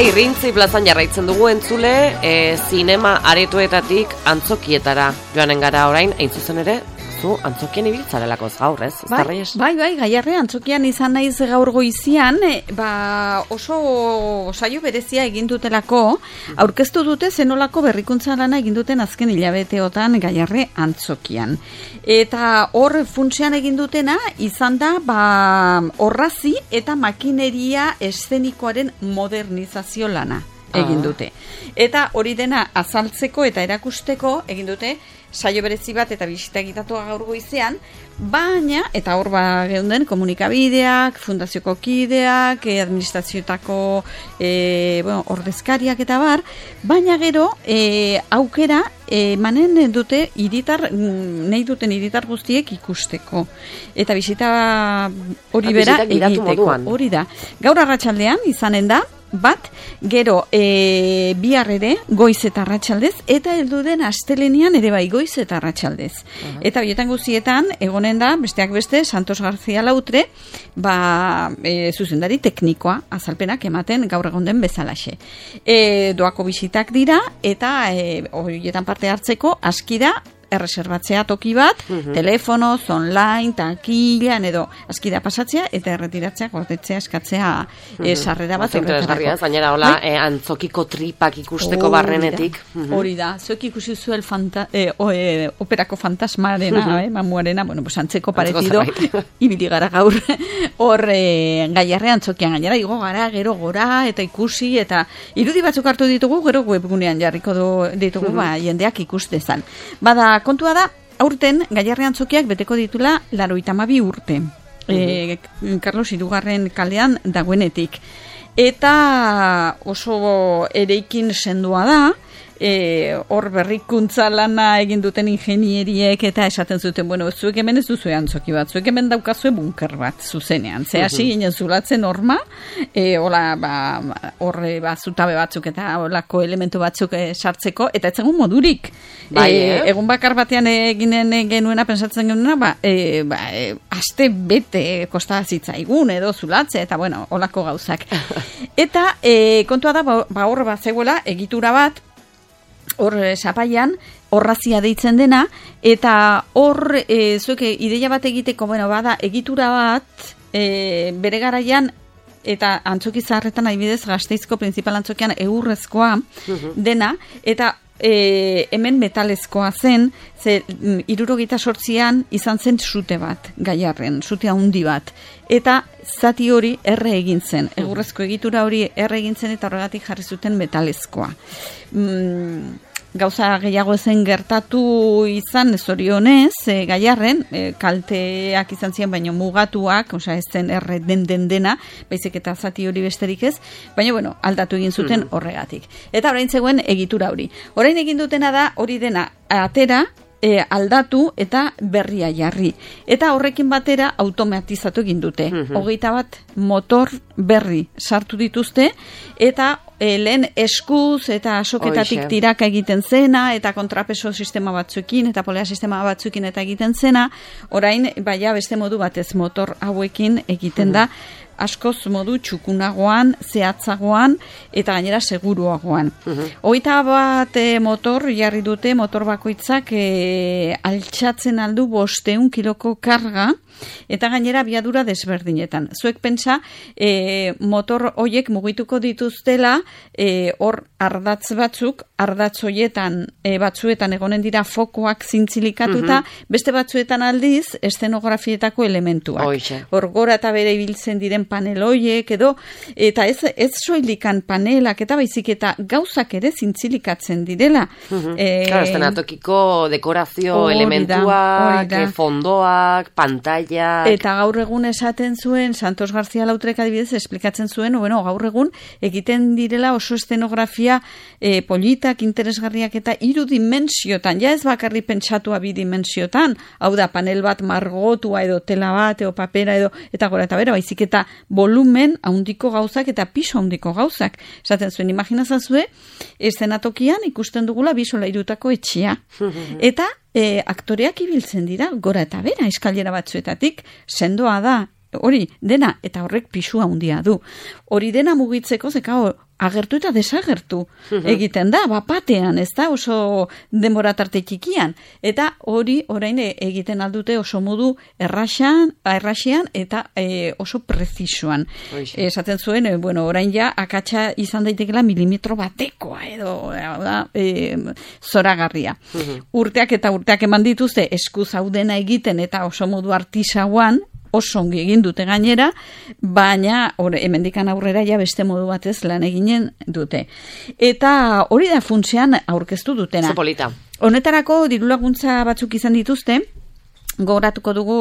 Irrintzi plazan jarraitzen dugu entzule, zinema aretoetatik antzokietara joanen gara orain, hain zuzen ere, zu antzokien ibiltzarelako gaur, ez? Bai, Gaiarre, antzokian izan naiz gaur goizian, oso saio berezia egin dutelako, aurkeztu dute zenolako berrikuntza lana egin duten azken hilabeteotan Gaiarre antzokian. Eta hor funtsean egin dutena izan da orrazi eta makineria eszenikoaren modernizazio lana egin dute. Eta hori dena azaltzeko eta erakusteko egin dute saio berezi bat eta bisita egitatua gaur goizean, baina, eta hor geunden komunikabideak, fundazioko kideak, administrazioetako ordezkariak eta bar, baina gero aukera emanen dute nahi duten hiritar guztiek ikusteko. Eta bisita hori bera egiteko. Hori da. Gaur arratsaldean izanen da, bat, gero bihar ere goiz eta arratsaldez, eta heldu den astelenean ere bai goiz eta arratsaldez. Eta horietan guztietan egonen da, besteak beste, Santos García Lautre, zuzendari teknikoa azalpenak ematen gaur egon den bezalaxe. Doako bisitak dira, eta horietan parte hartzeko aski da erreserbatzea toki bat, telefonoz, online, takilan edo askida pasatzea eta erretiratzea, gordetzea, eskatzea sarrera bat horretarako. Gainera, hola, antzokiko tripak ikusteko barrenetik. Hori da, zuek ikusi zuel operako fantasmarena, mamuarena, antzeko paretido, ibili gara gaur, hor Gaiarre antzokian gainera, igo gara, gero gora, eta ikusi, eta irudi batzuk hartu ditugu, gero webgunean jarriko ditugu, jendeak ikustezan. Bada, kontua da, aurten Gaiarre antzokiak beteko ditula 92 urte. Carlos Hirugarren kalean dagoenetik. Eta oso eraikin sendoa da, hor berrikuntza lana egin duten ingenieriek eta esaten zuten, zuek hemen ez duzue antzoki bat, zuek hemen daukazue bunker bat zuzenean. Ze hasi ginen zulatzen horma, horre zutabe batzuk eta horlako elementu batzuk sartzeko, eta etzengun modurik. Egun bakar batean eginen genuena, pensatzen genuena, aste bete kosta zitzaigun edo zulatze, eta horlako gauzak. Eta kontua da, hor bat zegoela, egitura bat, hor sapaian, orrazia deitzen dena, eta hor, zuek ideia bat egiteko, bada egitura bat, bere garaian, eta antzoki zaharretan adibidez Gasteizko printzipal antzokian eurrezkoa dena, eta hemen metalezkoa zen, 78an izan zen sute bat, Gaiarren, sute handi bat. Eta zati hori erre egin zen, egurrezko egitura hori erre egin zen eta horregatik jarri zuten metalezkoa. Gauza gehiago ezen gertatu izan zorionez, Gaiarren, kalteak izan ziren, baina mugatuak, ez zen erre dena, baizik eta zati hori besterik ez, baina aldatu egin zuten horregatik. Eta orain zegoen egitura hori. Orain egin dutena da hori dena atera, aldatu eta berria jarri. Eta horrekin batera automatizatu egin dute. 21 motor berri sartu dituzte, eta lehen eskuz eta soketatik tiraka egiten zena, eta kontrapeso sistema batzuekin, eta polea sistema batzuekin eta egiten zena, orain, beste modu batez motor hauekin egiten da, askoz modu txukunagoan, zehatzagoan, eta gainera seguruagoan. 21 motor jarri dute, motor bakoitzak altxatzen aldu 500 kiloko karga, eta gainera biadura desberdinetan. Zuek pentsa, motor hoiek mugituko dituztela, hor ardatz batzuk, ardatz hoietan batzuetan egonen dira fokoak zintzilikatuta, beste batzuetan aldiz, eszenografietako elementuak. Hor gora eta bere ibiltzen diren panel hoiek edo, eta ez soilikan panelak eta baizik eta gauzak ere zintzilikatzen direla. Claro, estenatokiko dekorazio elementuak, fondoak, pantalla. Eta gaur egun esaten zuen, Santos García Lautrek adibidez esplikatzen zuen, gaur egun egiten direla oso estenografia politak, interesgarriak eta 3 dimensiotan, ja ez bakarri pentsatua 2 dimensiotan, hau da panel bat margotua edo tela bat edo papera edo, eta gora eta bera, baizik eta volumen handiko gauzak eta piso handiko gauzak. Esaten zuen, imaginazazue, eszenatokian ikusten dugula 2 solairutako etxea. Eta aktoreak ibiltzen dira, gora eta bera, eskailera batzuetatik, sendoa da, hori dena, eta horrek pisua handia du. Hori dena mugitzeko, agertu eta desagertu egiten da, batean, ez da, oso denbora tarte txikian. Eta hori orain egiten aldute oso modu erraxean eta oso prezisuan. Esaten zuen, orain ja akatsa izan daitekela milimetro batekoa edo zoragarria. Urteak eta urteak eman dituzte eskuz hau dena egiten eta oso modu artisauan, oso ongi egin dute gainera, baina hemendikan aurrera ja beste modu batez lan eginen dute. Eta hori da funtsean aurkeztu dutena. Zepolita. Honetarako dirulaguntza batzuk izan dituzte, gogoratuko dugu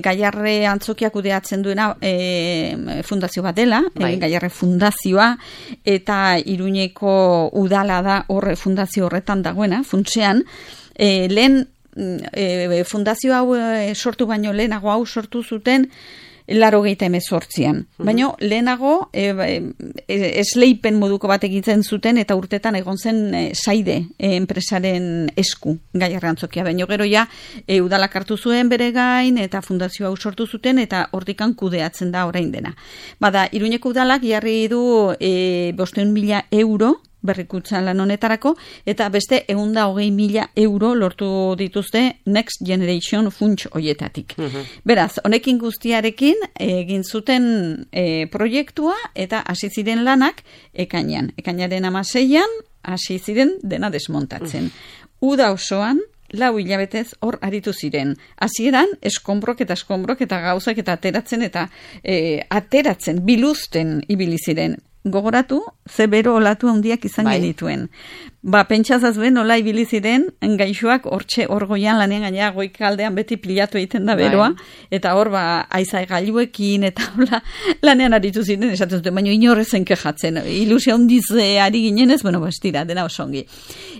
Gaiarre Antzokia kudeatzen duena fundazio bat dela, Gaiarre Fundazioa, eta Iruñeko udala da fundazio horretan dagoena, funtsean, lehen fundazio hau sortu baino lehenago hau sortu zuten 88an. Baina lehenago esleipen moduko bat egiten zuten eta urtetan egon zen Saide enpresaren esku Gaiarre Antzokia. Baina gero ja udalak hartu zuen bere gain eta fundazio hau sortu zuten eta hortikan kudeatzen da orain dena. Bada, Iruñeko udalak jarri du 500.000 euro berrikuntza lan honetarako, eta beste 120.000 euro lortu dituzte Next Generation funts hoietatik. Beraz, honekin guztiarekin egin zuten proiektua eta hasi ziren lanak ekainaren 16an hasi ziren dena desmontatzen. Uda osoan 4 hilabetez hor aritu ziren. Hasieran eskonbrok eta gauzak eta ateratzen, biluzten ibili ziren. Gogoratu, ze bero olatu handiak izan genituen. Pentsazazuen nola ibili ziren gaixoak hor goian lanean gainera goikaldean beti pilatu egiten da beroa, eta hor aizai gailuekin eta lanean aritu ziren, esaten zuten, baina inorrezen kejatzen, ilusia handiz ari ginenez, bestira, dena oso ongi.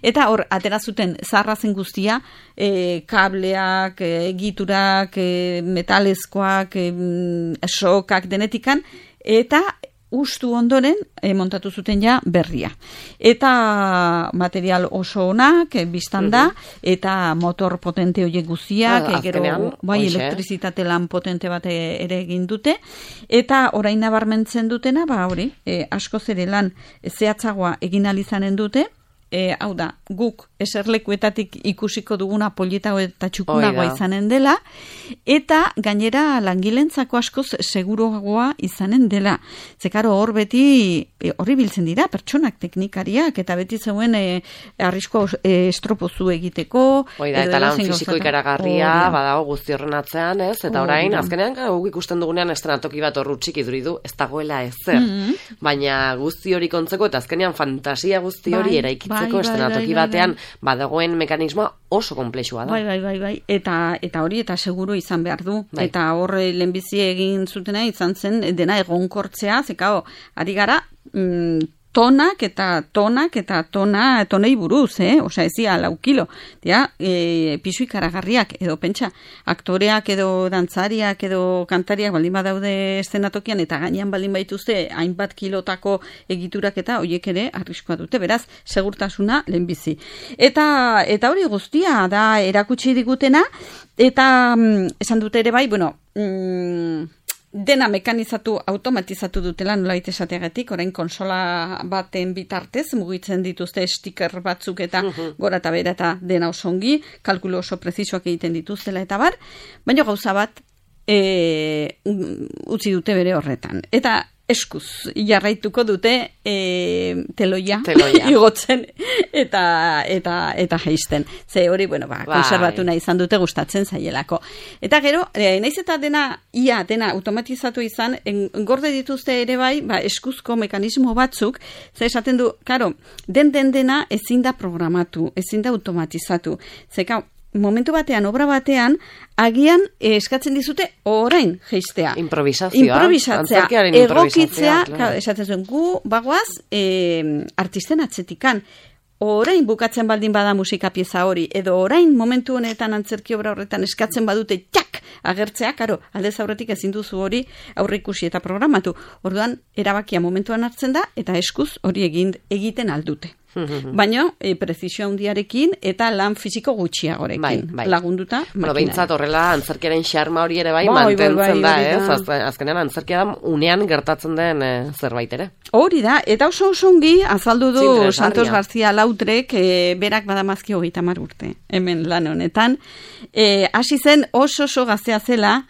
Eta hor, atera zuten zaharrazen guztia, kableak, egiturak, metalezkoak, sokak denetikan, eta ustu ondoren montatu zuten ja berria. Eta material oso onak, biztan da, eta motor potente horiek guztiak, elektrizitate lan potente bat ere egin dute, eta orain nabarmentzen dutena, hori, askoz ere lan zehatzagoa egin alizanen dute, hau da, guk eserlekuetatik ikusiko duguna polita eta txukunagoa izanen dela, eta gainera langilentzako askoz seguruagoa izanen dela. Zekaro hor beti horri biltzen dira, pertsonak, teknikariak, eta beti zeuen arrisko estropozu egiteko. Eta lan fisiko ikaragarria, badago guzti horren atzean, ez? Eta orain, azkenean guk ikusten dugunean estrenatoki bat horrutxik iduridu, ez dagoela ezer. Baina guzti hori kontzeko, eta azkenean fantasia guzti hori eraikitzeko estrenatoki batean badagoen mekanismoa oso konplexua da. Bai. Eta hori eta seguru izan behar du. Eta hor lehenbizi egin zutena izan zen dena egonkortzea, zekao, ari gara tonak eta tonei buruz, osea ezia 4 kilo. Pisu ikaragarriak, edo pentsa, aktoreak edo dantzariak edo kantariak baldin badaude eszenatokian eta gainean baldin baituzte hainbat kilotako egiturak eta horiek ere arriskoa dute, beraz, segurtasuna lehenbizi. Eta hori guztia da erakutsi digutena, eta esan dute ere bai, dena mekanizatu, automatizatu dutela nolabait esateagatik, orain konsola baten bitartez mugitzen dituzte sticker batzuk eta gora eta bera eta dena oso ongi, kalkulo oso prezisoak egiten dituztela eta bar, baina gauza bat utzi dute bere horretan. Eta eskuz jarraituko dute teloia igotzen eta jaisten. Ze hori, konserbatu nahi izan dute gustatzen zaielako. Eta gero, naiz eta ia dena automatizatu izan, gorde dituzte ere bai, eskuzko mekanismo batzuk, ze esaten du, karo, dena ezin da programatu, ezin da automatizatu. Zeka, momentu batean, obra batean, agian eskatzen dizute orain jeistea. Improvisatzea. Egokitzea, esatzen zuen, gu bagoaz artisten atzetikan. Orain bukatzen baldin bada musika pieza hori, edo orain momentu honetan antzerki obra horretan eskatzen badute agertzea, karo, aldez aurretik ezin duzu hori aurreikusi eta programatu. Orduan, erabakia momentuan hartzen da, eta eskuz hori egiten aldute. baina prezisio handiarekin eta lan fisiko gutxiagorekin lagunduta. Bueno, behintzat horrela antzerkiaren xarma hori ere mantentzen da, ez? Azkenean antzerkia da unean gertatzen den zerbait ere. Hori da, eta oso ongi azaldu du Santos García Lautrek, berak badamazki 30 urte, hemen lan honetan. Hasi zen oso gaztea zela,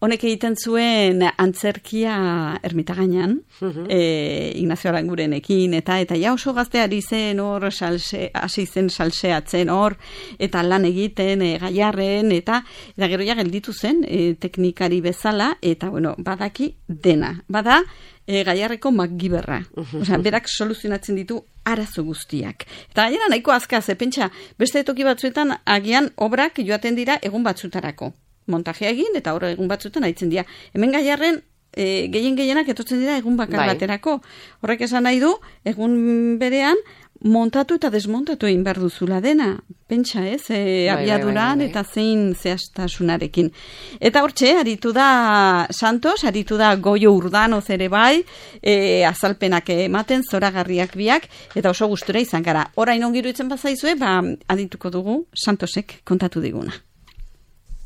honek egiten zuen antzerkia Ermitagainan, Ignacio Arangurenekin, eta ja oso gazteari zen hor, hasi zen salseatzen hor, eta lan egiten Gaiarren, eta gero ja gelditu zen teknikari bezala, eta bueno, badaki dena. Bada Gaiarreko MacGyverra. Osea, berak soluzionatzen ditu arazo guztiak. Eta gainera nahiko azkar, pentsa, beste toki batzuetan agian obrak joaten dira egun batzutarako. Montajea egin, eta horre egun batzuetan haitzen dira. Hemen Gaiarren gehienak etortzen dira egun bakar baterako. Horrek esan nahi du, egun berean montatu eta desmontatu egin behar duzula dena. Pentsa ez, abiaduran eta zein zehaztasunarekin. Eta hortxe, aritu da Santos, aritu da Goio Urdanoz ere bai, azalpenak ematen, zoragarriak biak, eta oso gustura izan gara. Orain ongiru itzen bazaizue, adituko dugu Santosek kontatu diguna.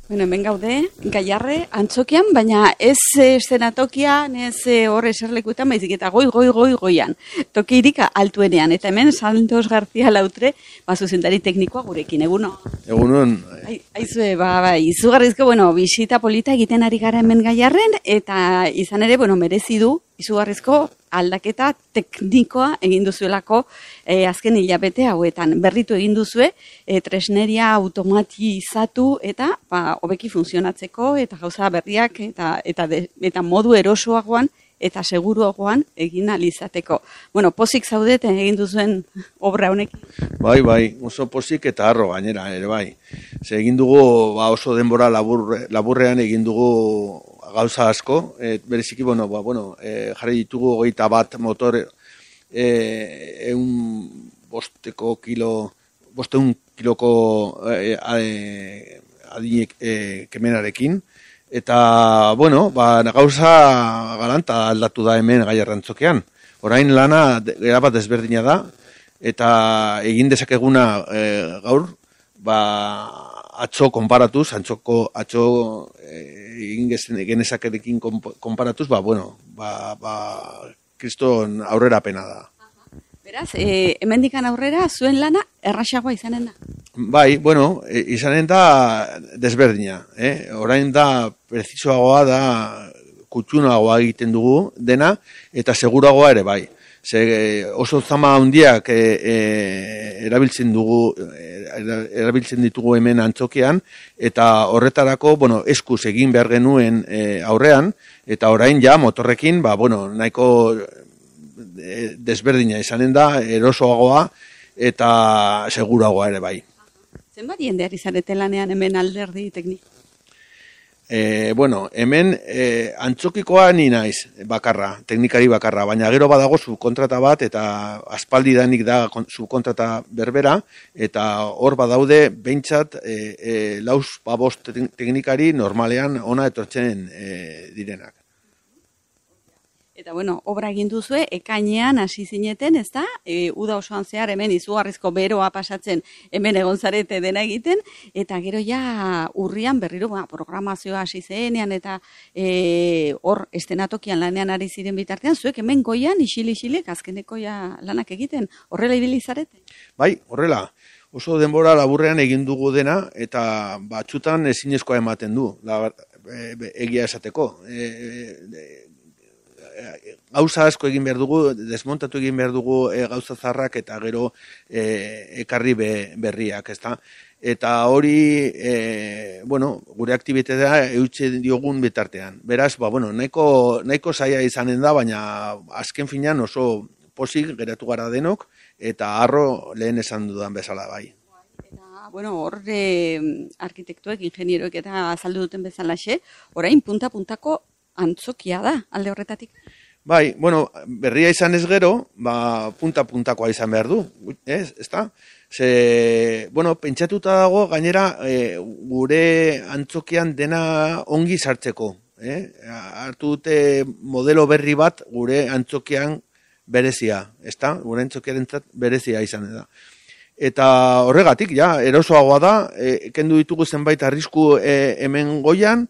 Bueno, hemen gaude, Gaiarre, antzokian, baina ez eszenatokian, ez horre eserlekuetan, baizik eta goian. Tokirik altuenean, eta hemen Santos García Lautre, zuzendari teknikoa gurekin, eguno? Egunon. Aizue, izugarrizko, bisita polita egiten ari gara hemen Gaiarren, eta izan ere, merezi du, izugarrizko aldaketa teknikoa egin duzuelako azken hilabete hauetan. Berritu egin duzue, tresneria automatizatu eta hobeki funtzionatzeko eta gauza berriak eta modu erosoagoan eta seguruagoan egin alizateko. Bueno, pozik zaudeten egin duzuen obra honek? Bai, oso pozik eta harro gainera, ere bai. Ze egin dugu oso denbora laburrean egin dugu gauza asko, bereziki, jarri ditugu 21 motor 500 kiloko adinek kemenarekin, eta, gauza galanta aldatu da hemen Gaiarrantzokean. Orain lana erabat ezberdina da, eta egin dezakeguna gaur, atzo konparatuz, atzo egin genezakerekin konparatuz, kriston aurrera pena da. Beraz, hemendikan aurrera, zuen lana erraxagoa izanen da? Bai, izanen da desberdina. Orain da prezisoagoa da, kutxunagoa egiten dugu dena, eta seguragoa ere bai. Oso zama handiak erabiltzen ditugu hemen antzokian, eta horretarako, eskuz egin behar genuen aurrean, eta orain ja motorrekin, nahiko desberdina izanen da, erosoagoa eta seguragoa ere bai. Zenbat jende ari zarete lanean hemen alderdi tekniko? Hemen antzokikoa ni naiz bakarra, teknikari bakarra, baina gero badago subkontrata bat eta aspaldidanik da subkontrata berbera, eta hor badaude behintzat 4-5 teknikari normalean ona etortzen direnak. Eta obra egin duzue, ekainean hasi zineten, ez da? Uda osoan zehar hemen izugarrizko beroa pasatzen hemen egon zarete dena egiten, eta gero ja urrian berriro programazioa hasi zenean, eta hor estenatokian lanean ari ziren bitartean, zuek hemen goian isilik azkeneko lanak egiten, horrela ibili zarete? Bai, horrela. Oso denbora laburrean egin dugu dena, eta batzutan ezinezkoa ematen du, egia esateko. Gauza asko egin behar dugu, desmontatu egin behar dugu gauza zarrak eta gero ekarri berriak, ezta? Eta hori, gure aktibitatea eutxe diogun bitartean. Beraz, nahiko zaila izanen da, baina azken finean oso pozik geratu gara denok, eta harro lehen esan dudan bezala bai. Hor arkitektuek, ingenieroek eta azaldu duten bezalaxe, orain punta-puntako antzokia da, alde horretatik? Bai, berria izan ez gero, punta-puntakoa izan behar du, ezta? Pentsatuta dago, gainera, gure antzokian dena ongi sartzeko. Hartu dute modelo berri bat, gure antzokian berezia, ezta? Gure entzokiarentzat berezia izan da. Eta horregatik, erosoagoa da, kendu ditugu zenbait arrisku hemen goian,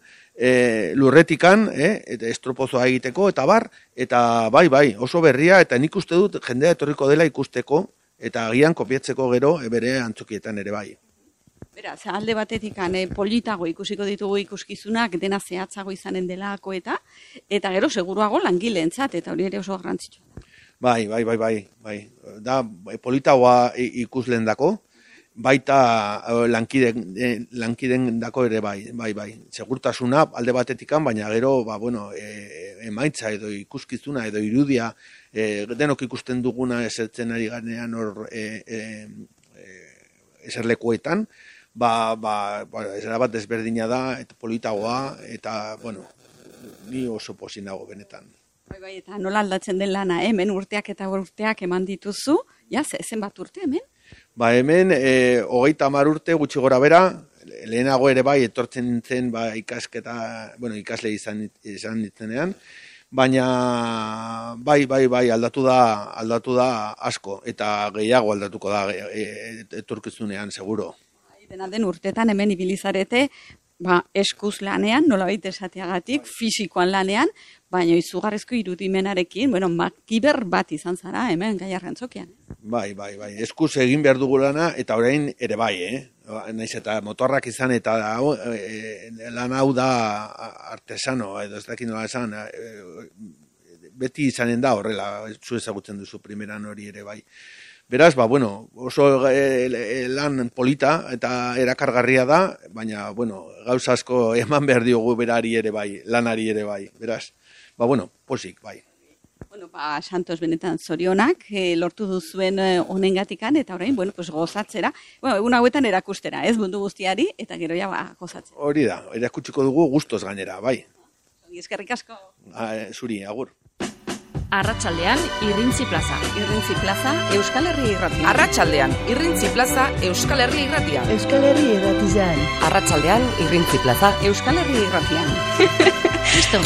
lurretikan, eta estropozoa egiteko, eta bai, oso berria, eta nik uste dut jendea etorriko dela ikusteko, eta agian kopiatzeko gero bere antzokietan ere bai. Beraz, alde batetik politago ikusiko ditugu ikuskizunak, dena zehatzago izanen delako eta gero seguruago langileentzat, eta hori ere oso garrantzitsua. Bai. Da, politagoa ikusleen dako, baita lankiden dako ere bai. Segurtasuna alde batetikan, baina gero, emaitza edo ikuskizuna edo irudia, denok ikusten duguna esertzen ari ganean hor eserlekuetan, esera bat desberdina da, eta politagoa, eta, ni oso posi nago benetan. Bai, eta nola aldatzen den lana, hemen urteak eman dituzu, zenbat urte hemen? Hemen, 30 urte gutxi gora bera, lehenago ere bai, etortzen nintzen ikasle izan nintzenean, baina bai, aldatu da asko, eta gehiago aldatuko da etorkizunean, seguro. Dena den urtetan hemen ibilizarete, eskuz lanean, nolabait esateagatik, fisikoan lanean, baina izugarrizko irudimenarekin, makiber bat izan zara hemen Gaiarre antzokian. Bai, eskuz egin behar dugu lana, eta orain ere bai, naiz eta motorrak izan, eta lan hau da artesano, edo ez dakit nola esan, beti izanen da horrela, zu ezagutzen duzu primeran hori ere bai. Beraz, oso lan polita eta erakargarria da, baina, gauza asko eman behar diogu berari ere bai, lanari ere bai. Beraz, posik, bai. Santos benetan zorionak, lortu duzuen honengatikan, eta orain, gozatzera, egun hauetan erakustera, ez mundu guztiari, eta gero gozatzera. Hori da, erakutsiko dugu gustoz gainera, bai. Eskerrik asko. Zuri, agur. Arratsaldean Irrintzi Plaza. Irrintzi Plaza, Euskal Herri Irratia. Arratsaldean Irrintzi Plaza, Euskal Herri Irratia. Euskal Herri Irratian. Arratsaldean Irrintzi Plaza, Euskal Herri Irratian. Listo.